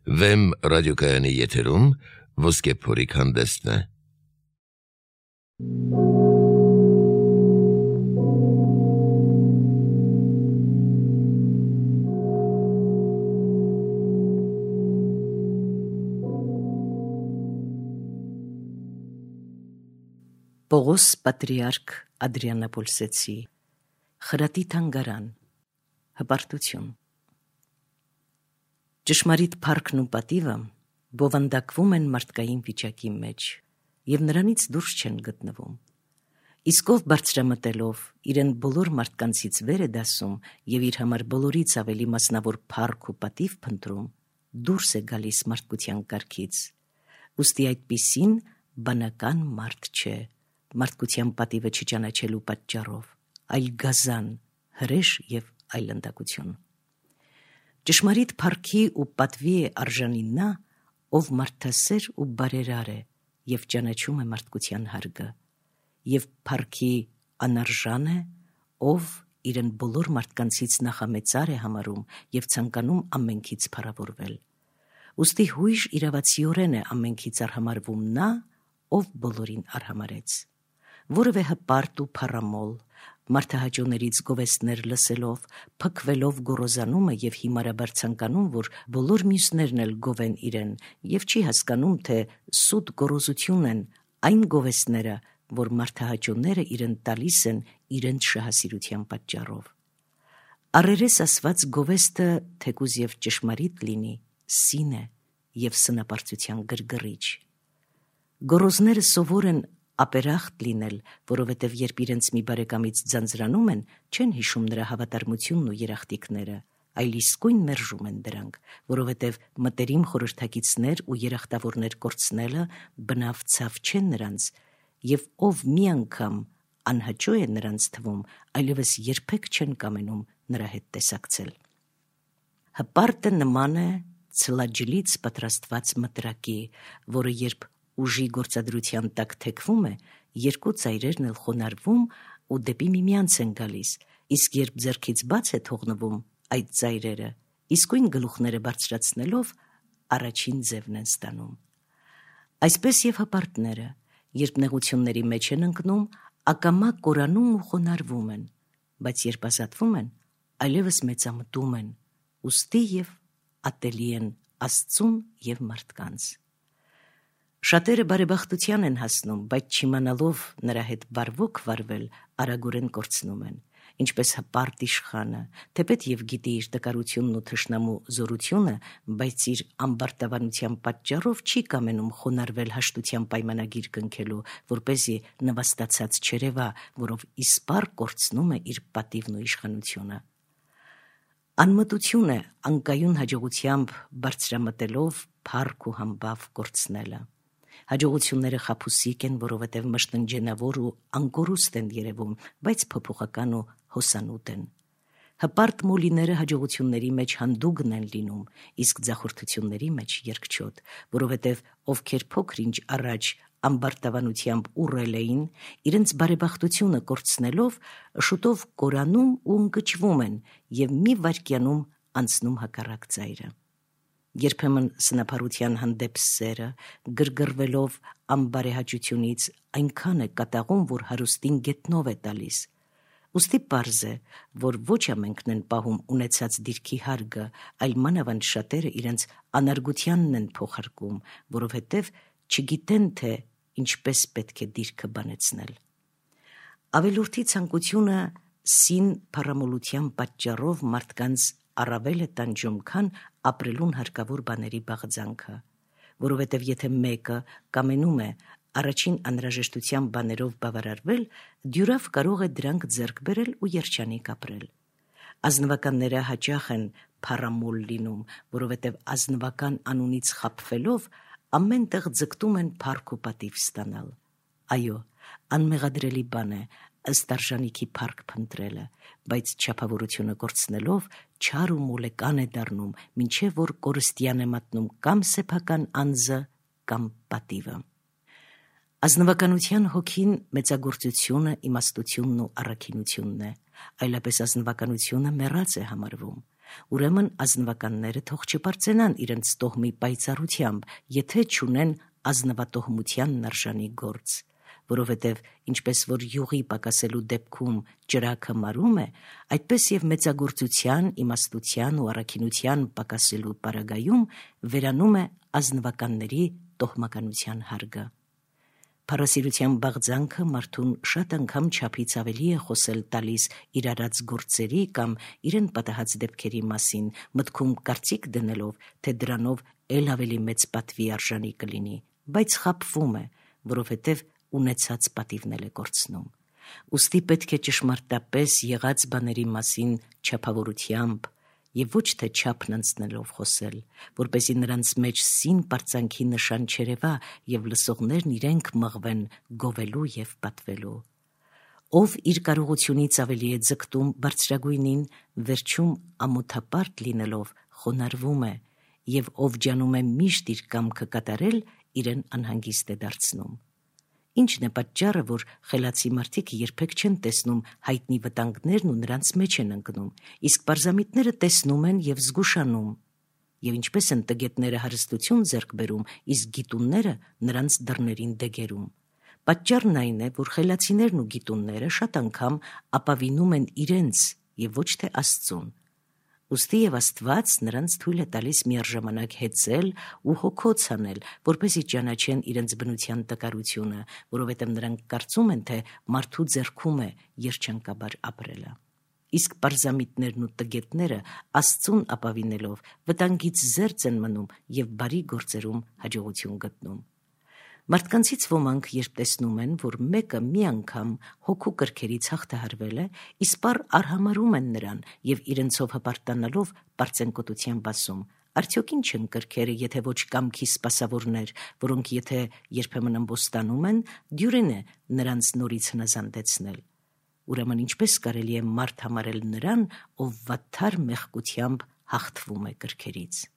Վեմ ռադիոկայանի եթերում ոսկե փորիկ հանդեսն է։ Պողոս Պատրիարք Ադրիանապոլսեցի խրատի թանգարան հպարտություն Ճշմարիտ փառքն ու պատիվը բովանդակվում են մարդկային վիճակի մեջ և նրանից դուրս չեն գտնվում։ Իսկ ով բարձրամտելով իրեն բոլոր մարդկանցից վեր է դասում և իր համար բոլորից ավելի մասնավոր փառք ու պատիվ փնտրում, դուրս է գալիս մարդկության կարգից։ Ուստի այդպիսին բանական մարդ չէ, մարդկության պատիվը չճանաչելու պատճառով, այլ գազան, հրեշ և այլանդակություն։ Ճշմարիտ փառքի ու պատվի է արժանի նա, ով մարդասեր ու բարերար է և ճանաչում է մարդկության հարգը, և փառքի անարժան է, ով իրեն բոլոր մարդկանցից նախամեծար է համարում և ցանկանում ամենքից փառավորվել։ Ուստի հույժ իրավացիորեն է ամենքից արհամարվում նա, ով բոլորին արհամարեց։ Որևէ հպարտ ու փառամոլ, մարդահաճոներից գովեստներ լսելով, փքվելով գոռոզանում է և հիմարաբար ցանկանում, որ բոլոր մյուսներն էլ գովեն իրեն, և չի հասկանում, թե սուտ գոռոզություն են այն գովեստները, որ մարդահաճոները իրեն տալիս են իրենց շահասիրության պատճառով։ Առերես ասված գովեստը թեկուզ և ճշմարիտ լինի, սին է և սնապարծության գրգռիչ։ Գոռոզները սովոր են ապերախտ լինել, որովհետև երբ իրենց մի բարեկամից ձանձրանում են, չեն հիշում նրա հավատարմությունն ու երախտիկները, այլ իսկույն մերժում են դրանք, որովհետև մտերիմ խորհրդակիցներ ու երախտավորներ կորցնելը բնավ ցավ չէ նրանց, և ով մի անգամ անհաճո է նրանց թվում, այլևս երբեք չեն կամենում նրա հետ տեսակցել։ Հպարտը նման է ցլաջլից պատրաստված մտրակի, որը երբ ուժի գործադրության տակ թեքվում է, երկու ծայրերն էլ խոնարհվում ու դեպի միմյանց են գալիս, իսկ երբ ձեռքից բաց է թողնվում այդ ծայրերը, իսկույն գլուխները բարձրացնելով առաջին ձևն են ստանում։ Այսպես և հպարտները, երբ նեղությունների մեջ են ընկնում, ակամա կորանում ու խոնարհվում են, բայց երբ ազատվում են, այլևս մեծամտում են, ուստի և ատելի են Աստծուն և մարդկանց։ Շատերը բարեբախտության են հասնում, բայց չիմանալով նրա հետ բարվոք վարվել, արագորեն կորցնում են, ինչպես հպարտ իշխանը, թեպետ և գիտի իր տկարությունն ու թշնամու զորությունը, բայց իր ամբարտավանության պատճառով չի կամենում խոնարհվել հաշտության պայմանագիր կնքելու, որպեսզի նվաստացած չերևա, որով իսպառ կորցնում է իր պատիվն ու իշխանությունը։ Անմտություն է անկայուն հաջողությամբ բարձրամտելով փառք ու համբավ կորցնելը։ Հաջողությունները խաբուսիկ են, որովհետև մշտնջենավոր ու անկորուստ են երևում, բայց փոփոխական ու հոսանուտ են։ Հպարտ մոլիները հաջողությունների մեջ հանդուգն են լինում, իսկ ձախորդությունների մեջ երկչոտ, որովհետև ովքեր փոքր-ինչ առաջ ամբարտավանությամբ ուռել էին, իրենց բարեբախտությունը կորցնելով, շուտով կորանում ու ընկճվում են և մի վայրկյանում անցնում հակառակ ծայրը։ Երբեմն սնափառության հանդեպ սերը, գրգռվելով անբարեհաճությունից, այնքան է կատաղում, որ հարուստին գետնով է տալիս։ Ուստի պարզ է, որ ոչ ամենքն են պահում ունեցած դիրքի հարգը, այլ մանավանդ շատերը իրենց անարգությանն են փոխարկում, որովհետև չգիտեն, թե ինչպես պետք է դիրքը բանեցնել։ Ավելորդի ցանկությունը սին փառամոլության պատճառով մարդկանց առավել է տանջում, քան ապրելուն հարկավոր բաների բաղձանքը, որովհետև եթե մեկը կամենում է առաջին անհրաժեշտության բաներով բավարարվել, դյուրավ կարող է դրանք ձեռք բերել ու երջանիկ ապրել։ Ազնվականները հաճախ են փառամոլ լինում, որովհետև ազնվական անունից խաբվելով ամեն տեղ ձգտում են փառք ու պատիվ ստանալ։ Այո, անմեղադրելի բան է ըստ արժանիքի փառք փնտրելը, բայց չափավորությունը կորցնելով չար ու մոլեկան է դառնում, մինչև որ կորստյան է մատնում կամ սեփական անձը, կամ պատիվը։ Ազնվականության հոգին մեծագործությունը, իմաստությունն ու առաքինությունն է, այլապես ազնվականությունը մեռած է համարվում։ Ուրեմն ազնվականները թող չբարձենան իրենց տոհմի պայծառությամբ, եթե չունեն ազնվատոհմությանն արժանի գործ, որովհետև ինչպես որ յուղի պակասելու դեպքում ճրագը մարում է, այդպես եւ մեծագործության, իմաստության ու առաքինության պակասելու պարագայում վերանում է ազնվականների տոհմականության հարգը։ Փառասիրության բաղձանքը մարդուն շատ անգամ չափից ավելի է խոսել տալիս իր արած գործերի կամ իրեն պատահած դեպքերի մասին, մտքում կարծիք դնելով, թե դրանով ել ավելի մեծ պատվի արժանի կլինի, բայց խաբվում է, որովհետև ունեցած պատիվն էլ է կորցնում։ Ուստի պետք է ճշմարտապես եղած բաների մասին չափավորությամբ եւ ոչ թե չափն անցնելով խոսել, որպեսզի նրանց մեջ սին պարծանքի նշան չերևա եւ լսողներն իրենք մղվեն գովելու եւ պատվելու։ Ով իր կարողությունից ավելի է ձգտում բարձրագույնին, վերջում ամոթապարտ լինելով խոնարհվում է, եւ ով ջանում է միշտ իր կամքը կատարել, իրեն անհանգիստ է դարձնում։ Ինչն է պատճառը, որ խելացի մարդիկ երբեք չեն տեսնում հայտնի վտանգներն ու նրանց մեջ են ընկնում, իսկ պարզամիտները տեսնում են եւ զգուշանում, եւ ինչպես են տգետները հարստություն ձեռք բերում, իսկ գիտունները նրանց դռներին դեգերում։ Պատճառն այն է, որ խելացիներն ու գիտունները շատ անգամ ապավինում են իրենց եւ ոչ թե Աստծուն։ Ուստի եւ Աստված նրանց թույլ է տալիս միաժամանակ հեծել ու հոգոց անել, որպեսզի ճանաչեն իրենց բնության տկարությունը, որովհետև նրանք կարծում են, թե մարդու ձեռքում է երջանկաբար ապրելը։ Իսկ պարզամիտներն ու տգետները Աստծուն ապավինելով վտանգից զերծ են մնում եւ բարի գործերում հաջողություն գտնում։ Մարդկանցից ոմանք, երբ տեսնում են, որ մեկը մի անգամ հոգու կրքերից հաղթահարվել է, իսպառ արհամարում են նրան եւ իրենցով հպարտանալով պարծենկոտությամբ ասում. արդյոք ինչ են կրքերը, եթե ոչ կամքի սպասավորներ, որոնք եթե երբեմն ըմբոստանում են, դյուրին է նրանց նորից հնազանդեցնել։ Ուրեմն ինչպես կարելի է մարդ համարել նրան, ով վատթար մեղքությամբ հաղթվում է կրքերից։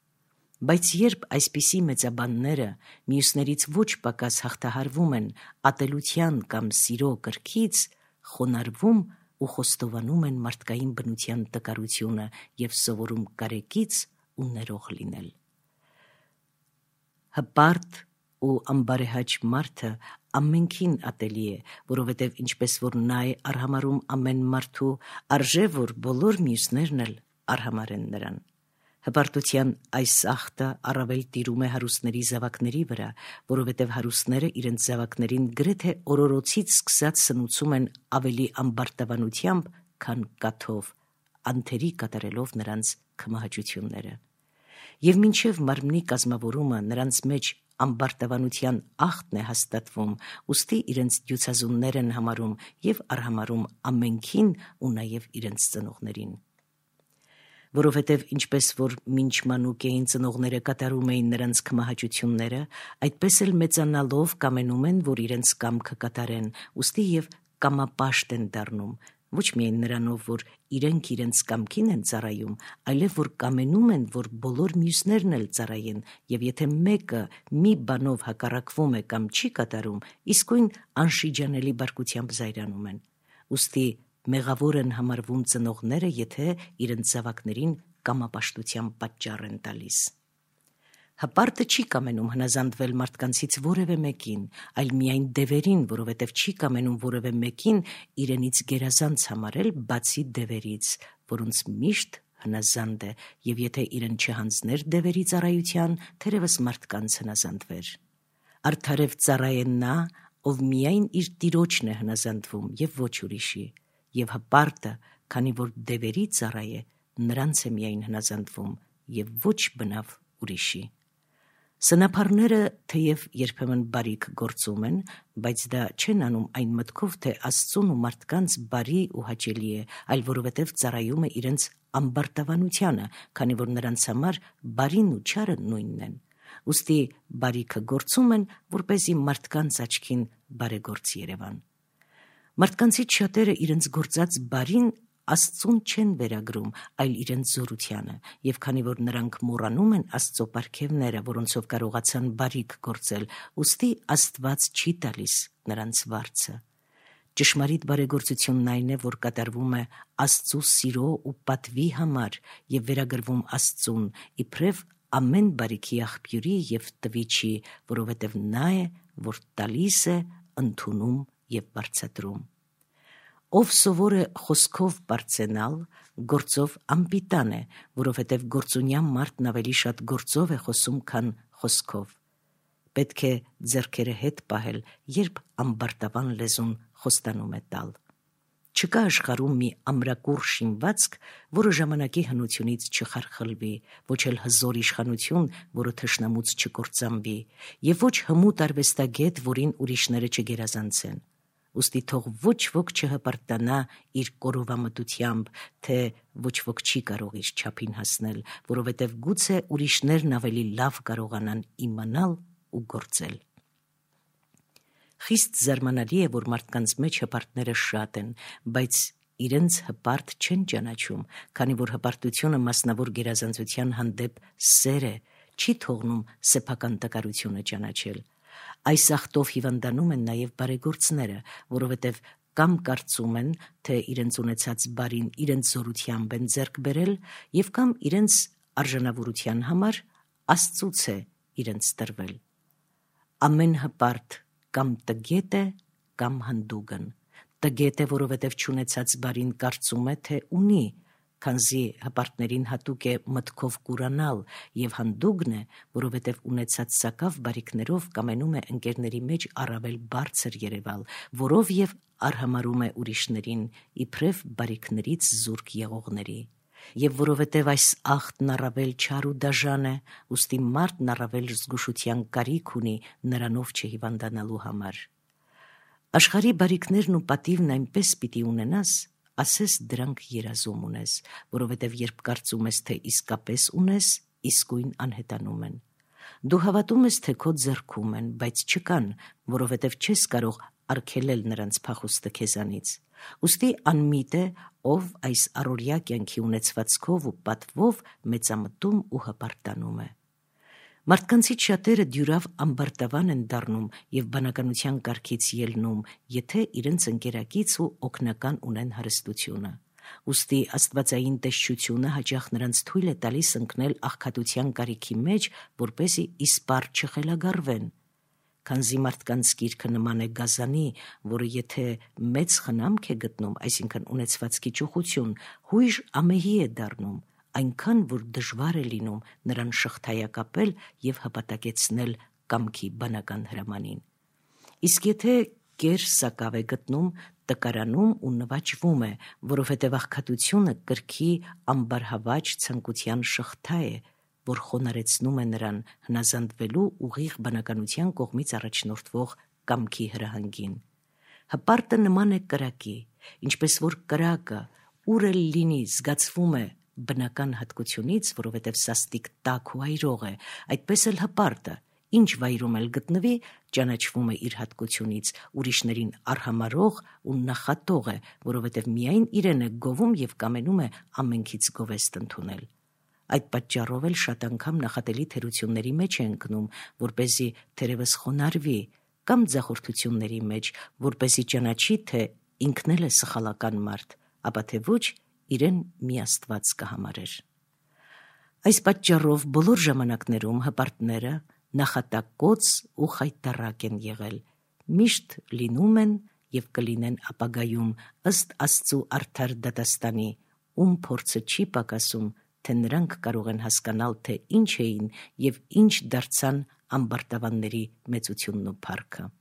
Բայց երբ այսպիսի մեծաբանները մյուսներից ոչ պակաս հաղթահարվում են ատելության կամ սիրո կրքից, խոնարհվում ու խոստովանում են մարդկային բնության տկարությունը եւ սովորում կարեկից ու ներող լինել։ Հպարտ ու ամբարեհաճ մարդը ամենքին ատելի է, որովհետև ինչպես որ նա է արհամարում ամեն մարդու, արժե որ բոլոր մյուսներն էլ արհամարեն նրան։ Հպարտության այս ախտը առավել տիրում է հարուստների զավակների վրա, որովհետև հարուստները իրենց զավակներին գրեթե օրորոցից սկսած սնուցում են ավելի ամբարտավանությամբ, քան կաթով, անթերի կատարելով նրանց քմահաճությունները։ Եվ մինչև մարմնի կազմավորումը նրանց մեջ ամբարտավանության ախտն է հաստատվում, ուստի իրենց դյուցազուններ են համարում եւ արհամարում ամենքին ու նաեւ իրենց ծնողներին։ Որովհետև ինչպես որ մինչ մանուկ էին ծնողները կատարում էին նրանց քմահաճությունները, այդպես էլ մեծանալով կամենում են, որ իրենց կամքը կատարեն, ուստի եւ կամապաշտ են դառնում, ոչ միայն նրանով, որ իրենք իրենց կամքին են ծառայում, այլև որ կամենում են, որ բոլոր մյուսներն էլ ծառայեն, եւ եթե մեկը մի բանով հակառակվում է կամ չի կատարում, իսկույն անշիջանելի բարկությամբ զայրանում են։ Ուստի մեղավոր են համարվում ծնողները, եթե իրենց զավակներին կամապաշտության պատճառ են տալիս։ Հպարտը չի կամենում հնազանդվել մարդկանցից որևէ մեկին, այլ միայն դևերին, որովհետև չի կամենում որևէ մեկին իրենից գերազանց համարել, բացի դևերից, որոնց միշտ հնազանդ է, եւ եթե իրեն չհանձներ դևերի ծառայության, թերևս մարդկանց հնազանդվեր։ Արդարև ծառայ է նա, ով միայն իր տիրոջն է հնազանդվում եւ ոչ ուրիշի, եւ հպարտը, քանի որ դևերի ծառայ է, նրանց է միայն հնազանդվում եւ ոչ բնավ ուրիշի։ Սնափառները թեև երբեմն բարիք գործում են, բայց դա չեն անում այն մտքով, թե Աստծուն ու մարդկանց բարի ու հաճելի է, այլ որովհետև ծառայում է իրենց ամբարտավանությանը, քանի որ նրանց համար բարին ու չարը նույնն են։ Ուստի բարիքը գործում են, որպեսզի մարդկանց աչքին բարեգործ երևան։ Մարդկանցից շատերը իրենց գործած բարին Աստծուն չեն վերագրում, այլ իրենց զորությանը, եւ քանի որ նրանք մոռանում են Աստծո պարգևները, որոնցով կարողացան բարիք գործել, ուստի Աստված չի տալիս նրանց վարձը։ Ճշմարիտ բարեգործությունն այն է, որ կատարվում է Աստծու սիրո ու պատվի համար եւ վերագրվում Աստծուն, իբրև ամեն բարիքի աղբյուրի եւ տվիչի, որովհետեւ նա է, որ տալիս է, ընդունում եւ բարձրացնում։ Ով սովոր է խոսքով բարձենալ, գործով անպիտան է, որովհետեւ գործունյա մարդն ավելի շատ գործով է խոսում, քան խոսքով։ Պետք է ձեռքերը հետ պահել, երբ ամբարտավան լեզուն խոստանում է տալ։ Չկա աշխարհում մի ամրակուռ շինվածք, որը ժամանակի հնությունից չխարխլվի, ոչ էլ հզոր իշխանություն, որը թշնամուց չկործանվի, եւ ոչ հմուտ արվեստագետ, որին ուրիշները չգերազանցեն։ Ուստի թող ոչ ոք չհպարտանա իր կորովամտությամբ, թե ոչ ոք չի կարող իր չափին հասնել, որովհետև գուցե ուրիշներն ավելի լավ կարողանան իմանալ ու գործել։ Խիստ զարմանալի է, որ մարդկանց մեջ հպարտները շատ են, բայց իրենց հպարտ չեն ճանաչում, քանի որ հպարտությունը մասնավոր գերազանցության հանդեպ սեր է, չի թողնում սեփական տկարությունը ճանաչել։ Այս ախտով հիվանդանում են նաև բարեգործները, որովհետև կամ կարծում են, թե իրենց ունեցած բարին իրենց զորությամբ են ձեռք բերել, եւ կամ իրենց արժանավորության համար Աստծուց է իրենց տրվել։ Ամեն հպարտ կամ տգետ է, կամ հանդուգն։ Տգետ է, որովհետև չունեցած բարին կարծում է, թե ունի, քանզի հպարտներին հատուկ է մտքով կուրանալ, եւ հանդուգն է, որովհետև ունեցած սակավ բարիքներով կամենում է ընկերների մեջ առավել բարձր երևալ, որով եւ արհամարում է ուրիշներին, իբրև բարիքներից զուրկ եղողների։ Եվ որովհետև այս ախտն առավել չար ու դաժան է, ուստի մարդն առավել զգուշության կարիք ունի նրանով չհիվանդանալու համար։ Աշխարհի բարիքներն ու պատիվն այնպես պիտի ունենաս, ասես դրանք երազում ունես, որովհետև երբ կարծում ես, թե իսկապես ունես, իսկույն անհետանում են։ Դու հավատում ես, թե քո ձեռքում են, բայց չկան, որովհետև չես կարող արգելել նրանց փախուստը քեզանից։ Ուստի անմիտ է, ով այս առօրյա կյանքի ունեցվածքով ու պատվով մեծամտում ու հպարտանում է։ Մարդկանցից շատերը դյուրավ ամբարտավան են դառնում եւ բանականության կարգից ելնում, եթե իրենց ընկերակից ու օգնական ունեն հարստությունը։ Ուստի աստվածային տեսչությունը հաճախ նրանց թույլ է տալիս ընկնել աղքատության կարիքի մեջ, որպեսզի իսպառ չխելագարվեն։ Քանզի մարդկանց գիրքը նման է գազանի, որը եթե մեծ խնամք է գտնում, այսինքն ունեցվածքի ճոխություն, հույժ ամեհի է դառնում, այնքան, որ դժվար է լինում նրան շղթայակապել եւ հպատակեցնել կամքի բանական հրամանին։ Իսկ եթե կեր սակավ է գտնում, տկարանում ու նվաճվում է, որովհետև աղքատությունը կրքի ամբարհավաճ ցանկության շղթա է, որ խոնարեցնում է նրան հնազանդվելու ուղիղ բանականության կողմից առաջնորդվող կամքի հրահանգին։ Հպարտը նման է կրակի, ինչպես որ կրակը ուր էլ լինի զգացվում է բնական հատկությունից, որովհետև սաստիկ տաք ու այրող է, այդպես էլ հպարտը, ինչ վայրում էլ գտնվի, ճանաչվում է իր հատկությունից, ուրիշներին արհամարող ու նախատող է, որովհետև միայն իրեն է գովում եւ կամենում է ամենքից գովեստ ընդունել։ Այդ պատճառով էլ շատ անգամ նախատելի թերությունների մեջ է ընկնում, որպեսզի թերևս խոնարհվի, կամ ձախորդությունների մեջ, որպեսզի ճանաչի, թե ինքն էլ է սխալական մարդ, ապա թե ոչ իրեն մի Աստված կհամարեր։ Այս պատճառով բոլոր ժամանակներում հպարտները նախատակոց ու խայտառակ են եղել, միշտ լինում են եւ կլինեն ապագայում ըստ Աստծու արդար դատաստանի, ում փորձը չի պակասում, թե նրանք կարող են հասկանալ, թե ինչ էին եւ ինչ դարձան ամբարտավանների մեծությունն ու փառքը։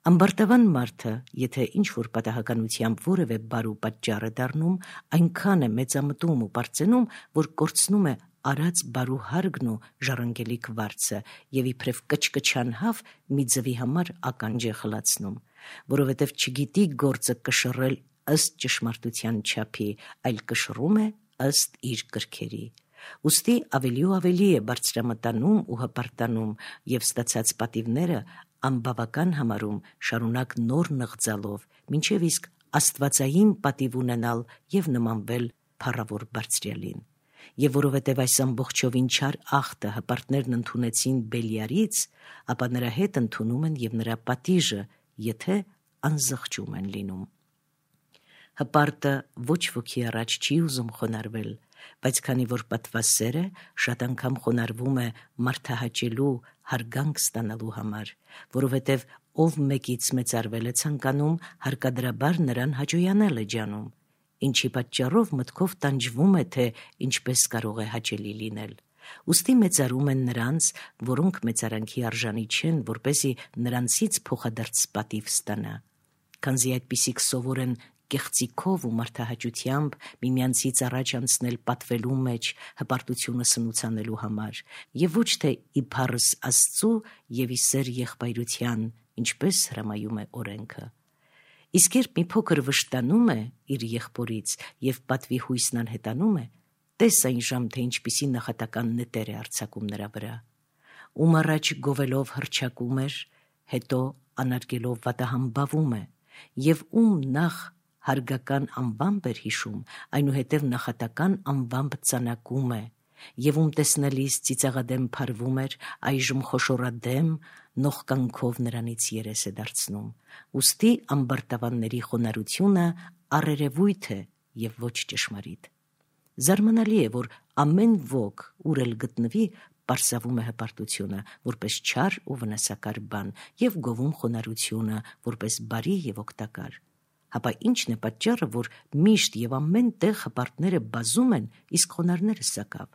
Ամբարտավան մարդը, եթե ինչ-որ պատահականությամբ որևէ բարու պատճառ է դառնում, այնքան է մեծամտում ու պարծենում, որ կորցնում է արած բարու հարգն ու ժառանգելիք վարձը եւ իբրև կչկչան հավ մի ձվի համար ականջ է խլացնում, որովհետեւ չգիտի գործը կշռել ըստ ճշմարտության չափի, այլ կշռում է ըստ իր կրքերի։ Ուստի ավելի ու ավելի է բարձրամտանում ու հպարտանում եւ ստացած պատիվները անբավական համարում, շարունակ նոր նղձալով, մինչև իսկ աստվածային պատիվ ունենալ եւ նմանվել փառավոր բարձրյալին։ Եվ որովհետև այս ամբողջովին չար ախտը հպարտներն ընդունեցին Բելիարից, ապա նրա հետ ընդունում են եւ նրա պատիժը, եթե անզղջում են լինում։ Հպարտը ոչ ոքի առաջ չի ուզում խոնարհվել, բայց քանի որ պատված սեր է, շատ անգամ խոնարհվում է մարդահաճելու, հարգանք ստանալու համար, որովհետև ով մեկից մեծարվել է ցանկանում, հարկադրաբար նրան հաճոյանալ է ջանում, ինչի պատճառով մտքով տանջվում է, թե ինչպես կարող է հաճելի լինել։ Ուստի մեծարում են նրանց, որոնք մեծարանքի արժանի չեն, որպեսզի նրանցից փոխադարձ պատիվ ստանա։ Քանզի այդպիսիք սովոր են կեղծիքով ու մարդահաճությամբ միմյանցից առաջ անցնել պատվելու մեջ, հպարտությունը սնուցանելու համար, եւ ոչ թե իբարս Աստծու եւ ի սեր եղբայրության, ինչպես հրամայում է օրենքը։ Իսկ երբ մի փոքր վշտանում է իր եղբորից եւ պատվի հույսն անհետանում է, տես այն ժամ, թե ինչպիսի նախատական նետեր է արձակում նրա վրա։ Ում առաջ գովելով հռչակում էր, հետո անարգելով վատահամբավում է, եւ ում նախ հարգական անվամբ էր հիշում, այնուհետև նախատական անվամբ ծանակում է, եւ ում տեսնելիս ծիծաղադեմ փարվում էր, այժմ խոշորադեմ նողկանքով նրանից երես է դարձնում։ Ուստի ամբարտավանների խոնարհությունը առերևույթ է եւ ոչ ճշմարիտ։ Զարմանալի է, որ ամեն ոք, ուր էլ գտնվի, պարսավում է հպարտությունը, որպես չար ու վնասակար բան, եւ գովում խոնարհությունը, որպես բարի եւ օգտակար։ Հապա ի՞նչն է պատճառը, որ միշտ եւ ամեն տեղ հպարտները բազում են, իսկ խոնարհները սակավ։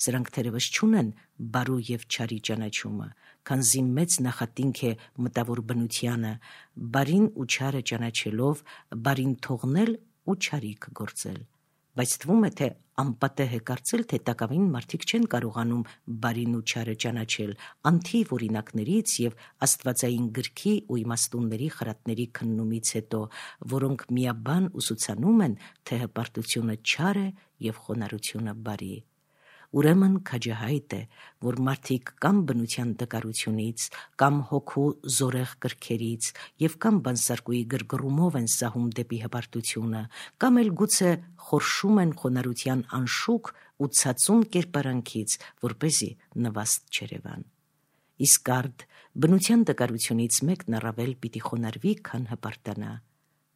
Սրանք թերևս չունեն բարու եւ չարի ճանաչումը, քանզի մեծ նախատինք է մտավոր բնությանը, բարին ու չարը ճանաչելով, բարին թողնել ու չարիք գործել։ Բայց թվում է, թե անպատեհ է կարծել, թե տակավին մարդիկ չեն կարողանում բարին ու չարը ճանաչել, անթիվ օրինակներից եւ աստվածային գրքի ու իմաստունների խրատների քննումից հետո, որոնք միաբան ուսուցանում են, թե հպարտությունը չար է եւ խոնարհությունը բարի։ Ուրեմն քաջահայտ է, որ մարդիկ կամ բնության տկարությունից, կամ հոգու զորեղ կրքերից եւ կամ բանսարկուի գրգռումով են սահում դեպի հպարտությունը, կամ էլ գուցե խորշում են խոնարհության անշուք ու ցածուն կերպարանքից, որպեսզի նվաստ չերևան։ Իսկ արդ բնության տկարությունից մեկն առավել պիտի խոնարհվի, քան հպարտանա։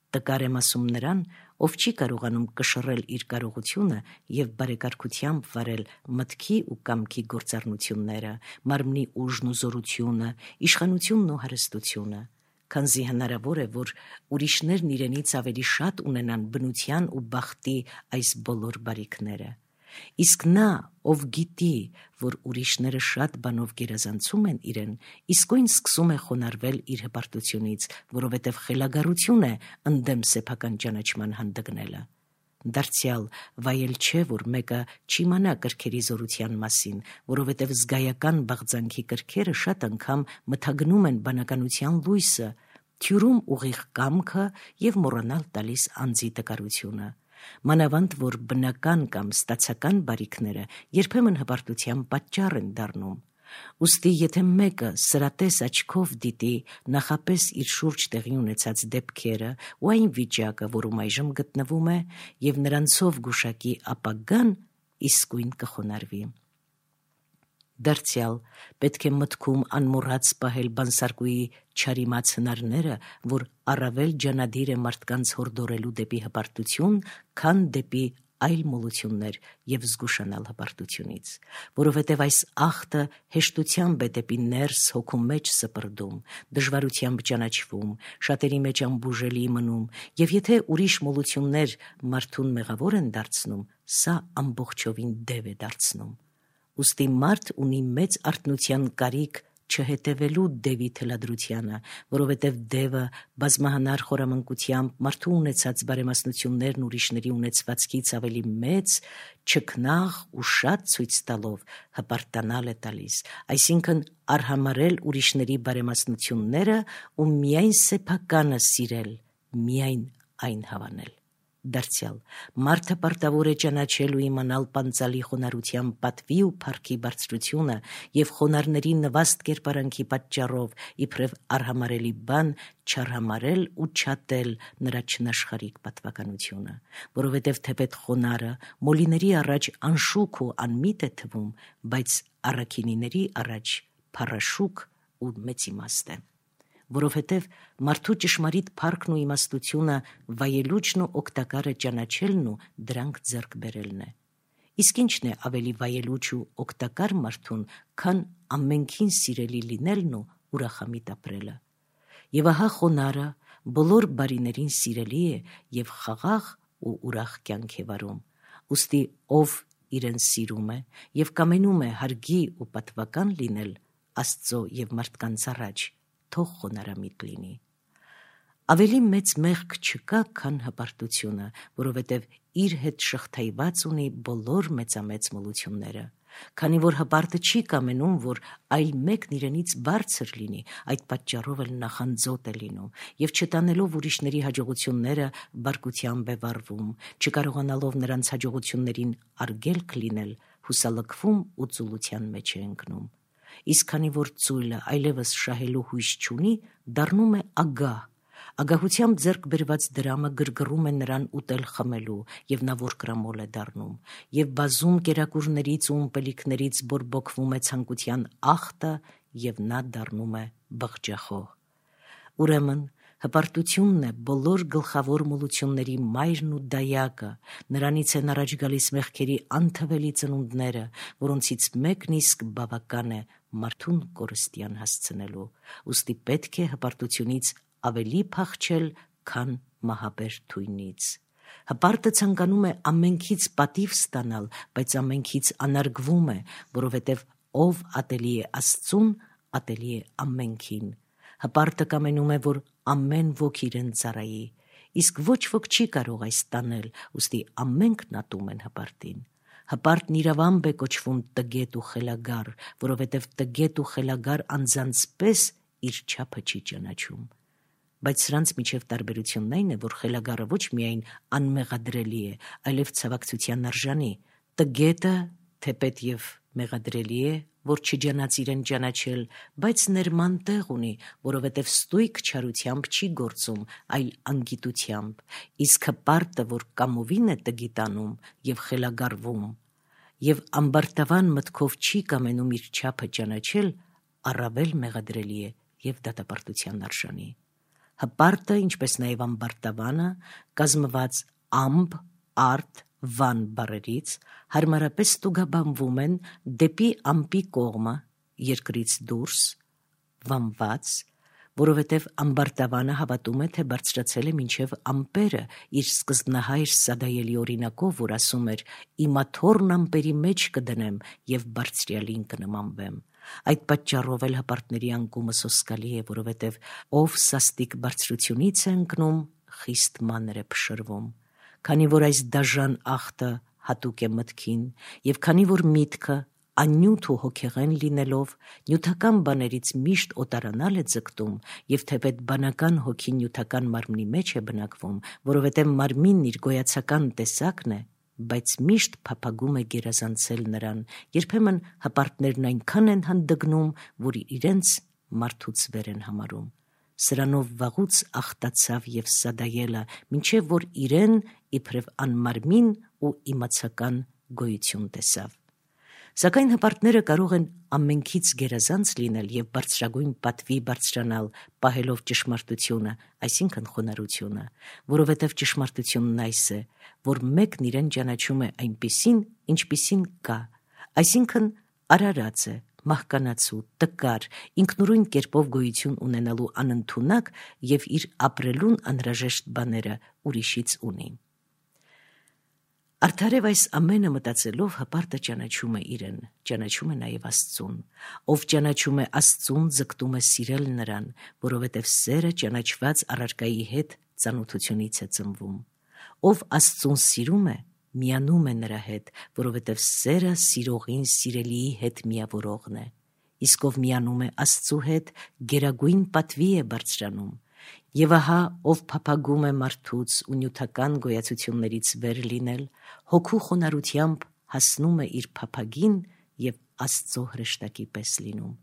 Տկար եմ ասում նրան, ով չի կարողանում կշռել իր կարողությունը եւ բարեկարգությամբ վարել մտքի ու կամքի գործառնությունները, մարմնի ուժն ու զորությունը, իշխանությունն ու հարստությունը, քանզի հնարավոր է, որ ուրիշներն իրենից ավելի շատ ունենան բնության ու բախտի այս բոլոր բարիքները։ Իսկ նա, ով գիտի, որ ուրիշները շատ բանով գերազանցում են իրեն, իսկույն սկսում է խոնարհվել իր հպարտությունից, որովհետև խելագարություն է ընդդեմ սեփական ճանաչման հանդգնելը։ Դարձյալ վայել չէ, որ մեկը չիմանա կրքերի զորության մասին, որովհետև զգայական բաղձանքի կրքերը շատ անգամ մթագնում են բանականության լույսը, թյուրում ուղիղ կամքը եւ մոռանալ տալիս անձի տկարությունը։ Մանավանդ որ բնական կամ ստացական բարիքները երբեմն հպարտության պատճառ են դառնում։ Ուստի եթե մեկը սրատես աչքով դիտի նախապես իր շուրջ տեղի ունեցած դեպքերը ու այն վիճակը, որում այժմ գտնվում է, եւ նրանցով գուշակի ապագան, իսկույն կխոնարհվի։ Դարձյալ պետք է մտքում անմոռաց պահել բանսարկուի չարիմաց հնարները, որ առավել ջանադիր է մարդկանց հորդորելու դեպի հպարտություն, քան դեպի այլ մոլություններ եւ զգուշանալ հպարտությունից, որովհետեւ այս ախտը հեշտությամբ է դեպի ներս հոգու մեջ սպրդում, դժվարությամբ ճանաչվում, շատերի մեջ ամբուժելի մնում, եւ եթե ուրիշ մոլություններ մարդուն մեղավոր են դարձնում, սա ամբողջովին դև է դարձնում։ Ուստի մարդ ունի մեծ արթնության կարիք չհետևելու դևի թելադրությանը, որովհետև դևը բազմահանար խորամանկությամբ մարդու ունեցած բարեմասնություններն ուրիշների ունեցվածքից ավելի մեծ, չքնաղ ու շատ ցույց տալով հպարտանալ է տալիս, այսինքն արհամարել ուրիշների բարեմասնությունները ու միայն սեփականը սիրել, միայն այն հավանել։ Դարձյալ մարդը պարտավոր է ճանաչել ու իմանալ պանծալի խոնարհության պատվի ու փառքի բարձրությունը եւ խոնարհների նվաստ կերպարանքի պատճառով իբրև արհամարելի բան չարհամարել ու չատել նրա չնաշխարիկ պատվականությունը, որովհետեւ թեպետ խոնարհը մոլիների առաջ անշուք ու անմիտ է թվում, բայց առաքինիների առաջ փառաշուկ ու մեծ իմաստ է։ որովհետև մարդու ճշմարիտ փառքն ու իմաստությունը վայելուչն ու օգտակարը ճանաչելն ու դրանք ձեռք բերելն է։ Իսկ ինչն է ավելի վայելուչ ու օգտակար մարդուն, քան ամենքին սիրելի լինելն ու ուրախամիտ ապրելը։ Եվ ահա խոնարհը բոլոր բարիներին սիրելի է եւ խաղաղ ու ուրախ կյանք է վարում։ Ուստի ով իրեն սիրում է եւ կամենում է հարգի ու պատվական լինել Աստծո եւ մարդկանց առաջ, թող խոնարհամիտ լինի։ Ավելի մեծ մեղք չկա, քան հպարտությունը, որովհետև իր հետ շղթայված ունի բոլոր մեծամեծ մոլությունները։ Քանի որ հպարտը չի կամենում, որ այլ մեկն իրենից բարձր լինի, այդ պատճառով էլ նախանձոտ է լինում եւ չտանելով ուրիշների հաջողությունները բարկությամբ է վարվում, չկարողանալով նրանց հաջողություններին արգելք լինել, հուսալքվում ու ծուլության մեջ է ընկնում։ Իսկ քանի որ ծույլը այլևս շահելու հույս չունի, դառնում է ագահ։ Ագահությամբ ձեռք բերված դրամը գրգռում է նրան ուտել խմելու, եւ նա որկրամոլ է դառնում, եւ բազում կերակուրներից ու ըմպելիքներից բորբոքվում է ցանկության ախտը, եւ նա դառնում է բղջախոհ։ Ուրեմն հպարտությունն է բոլոր գլխավոր մոլությունների մայրն ու դայակը, նրանից են առաջ գալիս մեղքերի անթվելի ծնունդները, որոնցից մեկն իսկ բավական է մարդուն կորստյան հասցնելու, ուստի պետք է հպարտությունից ավելի փախչել, քան մահաբեր թույնից։ Հպարտը ցանկանում է ամենքից պատիվ ստանալ, բայց ամենքից անարգվում է, որովհետև ով ատելի է Աստծուն, ատելի է ամենքին։ Հպարտը կամենում է, որ ամեն ոք իրեն ծառայի, իսկ ոչ ոք չի կարող այս տանել, ուստի ամենքն ատում են հպարտին։ Հպարտն իրավամբ է կոչվում տգետ ու խելագար, որովհետև տգետ ու խելագար անձանց պես իր չափը չի ճանաչում։ Բայց սրանց միջև տարբերությունն այն է, որ խելագարը ոչ միայն անմեղադրելի է, այլև ցավակցության արժանի։ Տգետը թեպետ եւ մեղադրելի է, որ չջանաց իրեն ճանաչել, բայց ներման տեղ ունի, որովհետև ստույգ չարությամբ չի գործում, այլ անգիտությամբ, իսկ հպարտը, որ կամովին է տգիտանում եւ խելագարվում, եւ ամբարտավան մտքով չի կամենում իր չափը ճանաչել, առավել մեղադրելի է եւ դատապարտության արժանի։ Հպարտը, ինչպես նաև ամբարտավանը, կազմված ամբ, արդ, վան բառերից, հարմարապես ստուգաբանվում են դեպի ամպի կողմը, երկրից դուրս, վանված, որովհետև ամբարտավանը հավատում է, թե բարձրացել է մինչև ամպերը իր սկզբնահայր սադայելի օրինակով, որ ասում էր. «Իմ աթոռն ամպերի մեջ կդնեմ եւ բարձրյալին կնմանվեմ»։ Այդ պատճառով էլ հպարտների անկումը սոսկալի է, որովհետև ով սաստիկ բարձրությունից է ընկնում, խիստ մանր է փշրվում։ Քանի որ այս դաժան ախտը հատուկ է մտքին, եւ քանի որ միտքը աննյութ ու հոգեղեն լինելով նյութական բաներից միշտ օտարանալ է ձգտում, եւ թեպետ բանական հոգին նյութական մարմնի մեջ է բնակվում, որովհետև մարմինն իր գոյացական տեսակն է, բայց միշտ փափագում է գերազանցել նրան, երբեմն հպարտներն այնքան են հանդգնում, որ իրենց մարդուց վեր են համարում։ Սրանով վաղուց ախտացավ եւ սադայելը, մինչև որ իրեն իբրև անմարմին ու իմացական գոյություն տեսավ։ Սակայն հպարտները կարող են ամենքից գերազանց լինել եւ բարձրագույն պատվի բարձրանալ, պահելով ճշմարտությունը, այսինքն խոնարհությունը, որովհետեւ ճշմարտությունն այս է, որ մեկն իրեն ճանաչում է այնպիսին, ինչպիսին կա, այսինքն արարած է, մահկանացու, տկար, ինքնուրույն կերպով գոյություն ունենալու անընդունակ եւ իր ապրելուն անհրաժեշտ բաները ուրիշից ունի։ Արդարև այս ամենը մտածելով հպարտը ճանաչում է իրեն, ճանաչում է նաև Աստծուն։ Ով ճանաչում է Աստծուն, ձգտում է սիրել նրան, որովհետև սերը ճանաչված առարկայի հետ ծանոթությունից է ծնվում։ Ով Աստծուն սիրում է, միանում է նրա հետ, որովհետև սերը սիրողին սիրելիի հետ միավորողն է։ Իսկ ով միանում է Աստծու հետ, գերագույն պատվի է բարձրանում։ Եվ ահա, ով փափագում է մարդուց ու նյութական գոյացություններից վեր լինել, հոգու խոնարհությամբ հասնում է իր փափագին եւ Աստծո հրեշտակի պես լինում։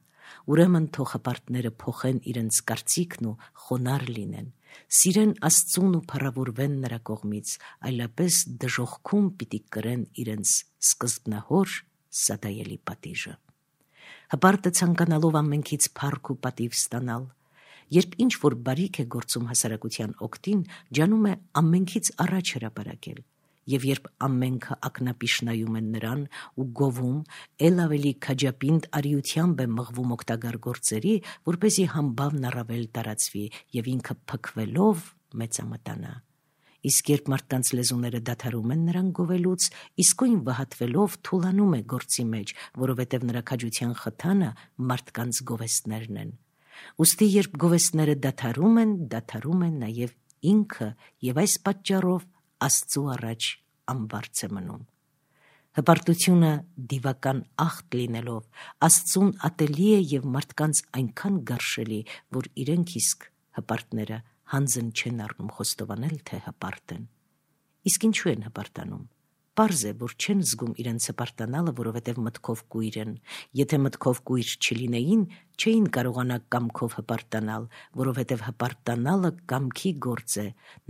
Ուրեմն թող հպարտները փոխեն իրենց կարծիքն ու խոնարհ լինեն, սիրեն Աստծուն ու փառավորվեն նրա կողմից, այլապես դժոխքում պիտի կրեն իրենց սկզբնահոր սադայելի պատիժը։ Հպարտը ցանկանալով ամենքից փառք ու պատիվ ստանալ, Երբ ինչ-որ բարիք է գործում հասարակության օգտին, ջանում է ամենքից առաջ հրապարակել, և երբ ամենքը ակնապիշ նայում են նրան ու գովում, էլ ավելի քաջապինդ արիությամբ է մղվում օգտագար գործերի, որպեսզի համբավն առավել տարածվի և ինքը փքվելով մեծամտանա։ Իսկ երբ մարդկանց լեզուները դադարում են նրան գովելուց, իսկույն վհատվելով թուլանում է գործի մեջ, որովհետև նրա քաջության խթանը մարդկանց գովեստներն են։ Ուստի երբ գովեստները դադարում է նաև ինքը, և այս պատճառով Աստծու առաջ անբարձ է մնում։ Հպարտությունը դիվական ախտ լինելով, Աստծուն ատելի է և մարդկանց այնքան գարշելի, որ իրենք իսկ հպարտները հանձն չեն առնում խոստովանել, թե հպարտ են։ Իսկ ինչու են հպարտանում։ Պարզ է, որ չեն զգում իրենց հպարտանալը, որովհետև մտքով կույր են։ Եթե մտքով կույր չլինեին, չէին կարողանա կամքով հպարտանալ, որովհետև հպարտանալը կամքի գործ է,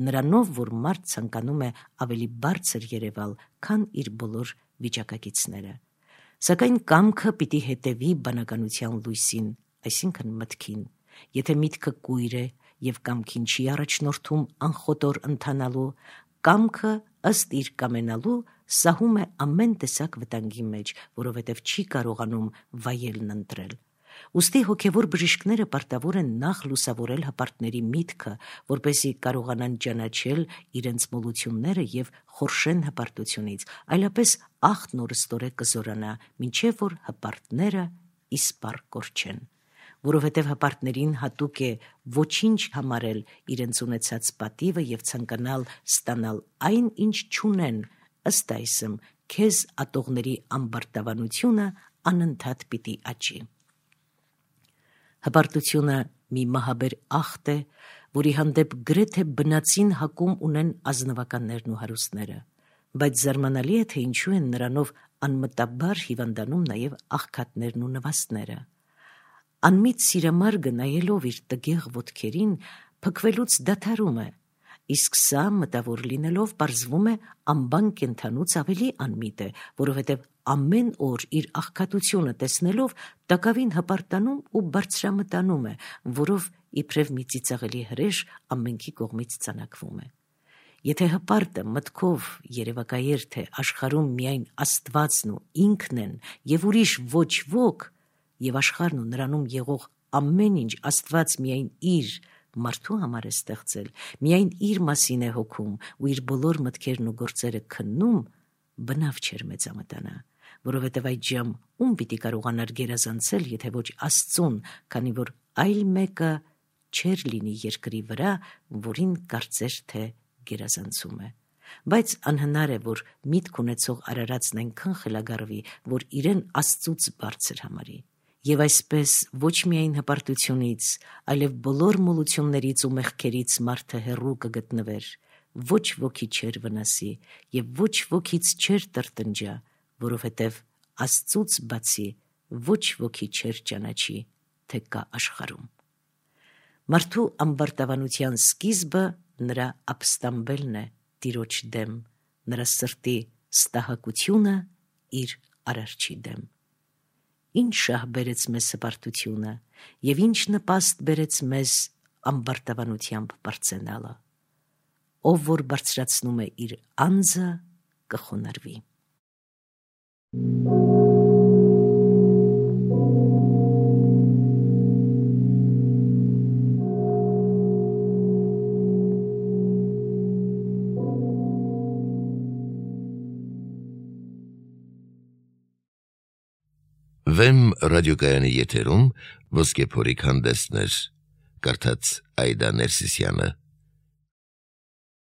նրանով, որ մարդ ցանկանում է ավելի բարձր երևալ, քան իր բոլոր վիճակակիցները։ Սակայն կամքը պիտի հետևի բանականության լույսին, այսինքն մտքին։ Եթե միտքը կույր է և կամքին չի առաջնորդում անխոտոր ընթանալու, կամքը ըստ իր կամենալու սահում է ամեն տեսակ վտանգի մեջ, որովհետև չի կարողանում վայելն ընտրել։ Ուստի հոգևոր բժիշկները պարտավոր են նախ լուսավորել հպարտների միտքը, որպեսզի կարողանան ճանաչել իրենց մոլությունները և խորշեն հպարտությունից, այլապես ախտն օրըստօրե կզորանա, մինչև որ հպարտները իսպառ կորչեն։ Որովհետև հպարտներին հատուկ է ոչինչ համարել իրենց ունեցած պատիվը և ցանկանալ ստանալ այն, ինչ չունեն, ըստ այսմ քեզ ատողների ամբարտավանությունը անընդհատ պիտի աճի։ Հպարտությունը մի մահաբեր ախտ է, որի հանդեպ գրեթե բնածին հակում ունեն ազնվականներն ու հարուստները, բայց զարմանալի է, թե ինչու են նրանով անմտաբար հիվանդանում նաև աղքատներն ու նվաստները։ Անմիտ սիրամարգը նայելով իր տգեղ ոտքերին փքվելուց դադարում է, իսկ սա մտավոր լինելով պարզվում է անբան կենդանուց ավելի անմիտ է, որովհետև ամեն օր իր աղքատությունը տեսնելով տակավին հպարտանում ու բարձրամտանում է, որով իբրև մի ծիծաղելի հրեշ ամենքի կողմից ծանակվում է։ Եթե հպարտը մտքով երևակայեր, թե աշխարհում միայն Աստվածն ու ինքն են և ուրիշ ոչ ոք, և աշխարհն ու նրանում եղող ամեն ինչ Աստված միայն իր մարդու համար է ստեղծել, միայն իր մասին է հոգում ու իր բոլոր մտքերն ու գործերը քննում, բնավ չէր մեծամտանա, որովհետև այդժամ ում պիտի կարողանար գերազանցել, եթե ոչ Աստծուն, քանի որ այլ մեկը չէր լինի երկրի վրա, որին կարծեր, թե գերազանցում է։ Բայց անհնար է, որ միտք ունեցող արարածն այնքան խելագարվի, որ իրեն Աստծուց բարձր համարի։ Եվ այսպես ոչ միայն հպարտությունից, այլև բոլոր մոլություններից ու մեղքերից մարդը հեռու կգտնվեր, ոչ ոքի չէր վնասի և ոչ ոքից չէր տրտնջա, որովհետև Աստծուց բացի ոչ ոքի չէր ճանաչի, թե կա աշխարհում։ Մարդու ամբարտավանության սկիզբը նրա ապստամբելն է Տիրոջ դեմ, նրա սրտի ստահակությունը իր Արարչի դեմ։ Ինչ շահ բերեց մեզ հպարտությունը և ինչ նպաստ բերեց մեզ ամբարտավանությամբ բարձենալը։ Ով որ բարձրացնում է իր անձը, կխոնարհվի։ Վեմ ռադիոկայանի եթերում Ոսկե փորիկ հանդեսներ, կարդաց Այդա Ներսիսյանը։